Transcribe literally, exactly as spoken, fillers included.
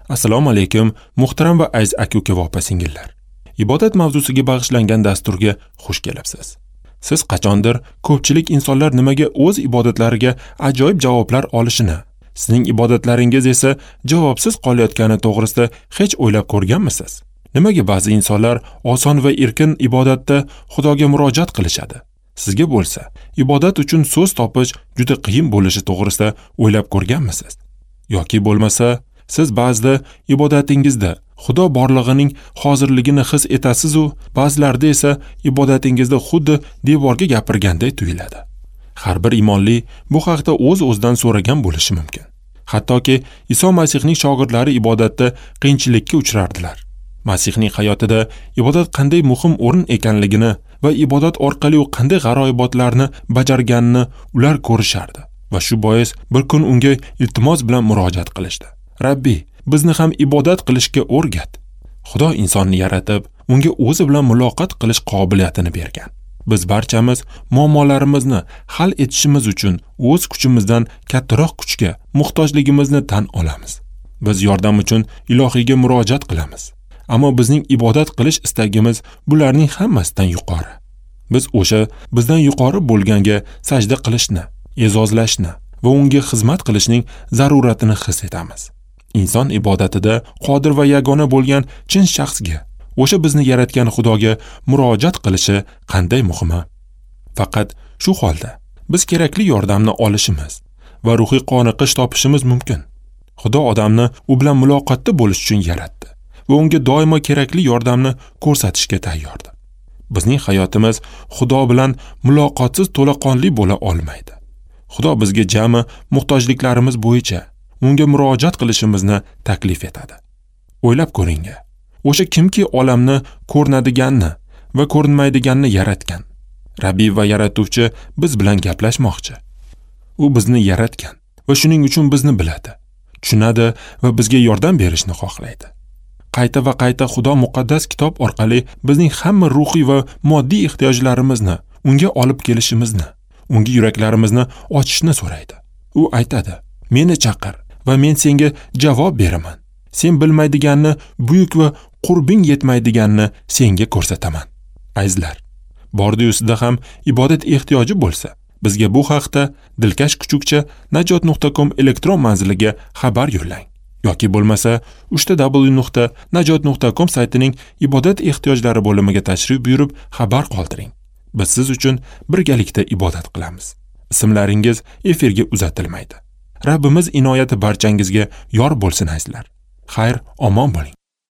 Assalomu alaykum, muhtaram va aziz aka-uka va opa-singillar. Ibodat mavzusiga bag'ishlangan dasturga xush kelibsiz. Siz qachondir ko'pchilik insonlar nimaga o'z ibodatlariga ajoyib javoblar olishini, sizning ibodatlaringiz esa javobsiz qolayotgani to'g'risida hech o'ylab ko'rganmisiz? Nimaga ba'zi insonlar oson va erkin ibodatda Xudoga murojaat qilishadi? Sizga bo'lsa, ibodat uchun so'z topish juda qiyin bo'lishi to'g'risida o'ylab ko'rganmisiz? Yoki bo'lmasa, siz ba'zida ibodatingizda Xudo borlig'ining hozirligini his etasiz-u, ba'zilarda esa ibodatingizda xuddi devorga gapirganday tuyuladi. Har bir imonli bu haqda o'z-o'zidan so'ragan bo'lishi mumkin. Hattoki Iso Masihning shogirdlari ibodatda qiyinchilikka uchrardilar. Masihning hayotida ibodat qanday muhim o'rin ekanligini va ibodat orqali u qanday g'aroyibotlarni bajarganini ular ko'rishardi va shu bois bir kun unga iltimos bilan murojaat qilishdi. Rabbi, bizni ham ibodat qilishga o'rgat. Xudo insonni yaratib, unga o'zi bilan muloqot qilish qobiliyatini bergan. Biz barchamiz muammolarimizni hal etishimiz uchun o'z kuchimizdan kattaroq kuchga muhtojligimizni tan olamiz. Biz yordam uchun ilohiyga murojaat qilamiz. Ammo bizning ibodat qilish istagimiz bularning hammasidan yuqori. Biz o'sha bizdan yuqori bo'lganga sajda qilishni, e'zozlashni va unga xizmat qilishning zaruratini his etamiz. Inson ibodatida qodir va yagona bo'lgan chin shaxsga, o'sha bizni yaratgan Xudoga murojaat qilishi qanday muhimi? Faqat shu holda biz kerakli yordamni olishimiz va ruhiy qoniqish topishimiz mumkin. Xudo odamni u bilan muloqotda bo'lish uchun yaratdi va unga doimo kerakli yordamni ko'rsatishga tayyordir. Bizning hayotimiz Xudo bilan muloqotsiz to'laqonli bo'la olmaydi. Xudo bizga jami muhtojliklarimiz bo'yicha unga murojaat qilishimizni taklif etadi. O'ylab ko'ring, o'sha kimki olamni ko'rinadiganni va ko'rinmaydiganni yaratgan, Rabbi va yaratuvchi biz bilan gaplashmoqchi. U bizni yaratgan va shuning uchun bizni biladi, tushunadi va bizga yordam berishni xohlaydi. Qayta va qayta Xudo muqaddas kitob orqali bizning hamma ruhiy va moddiy ehtiyojlarimizni unga olib kelishimizni, unga yuraklarimizni ochishni so'raydi. U aytadi: "Meni chaqir va men senga javob beraman. Sen bilmaydiganni, buyuk va qurbing yetmaydiganni senga ko'rsataman." Azizlar, bordi-yu sizda ham ibodat ehtiyoji bo'lsa, bizga bu haqda dilkash kuchukcha najot nuqta com elektron manziliga xabar yo'llang. Yoki bo'lmasa uch ta w nuqta najot nuqta com saytining ibodat ehtiyojlari bo'limiga tashrif buyurib xabar qoldiring. Biz siz uchun birgalikda ibodat qilamiz. Ismlaringiz efirga uzatilmaydi. Rabbimiz inoyati barchangizga yor bo'lsin azizlar. Xayr, omon bo'ling.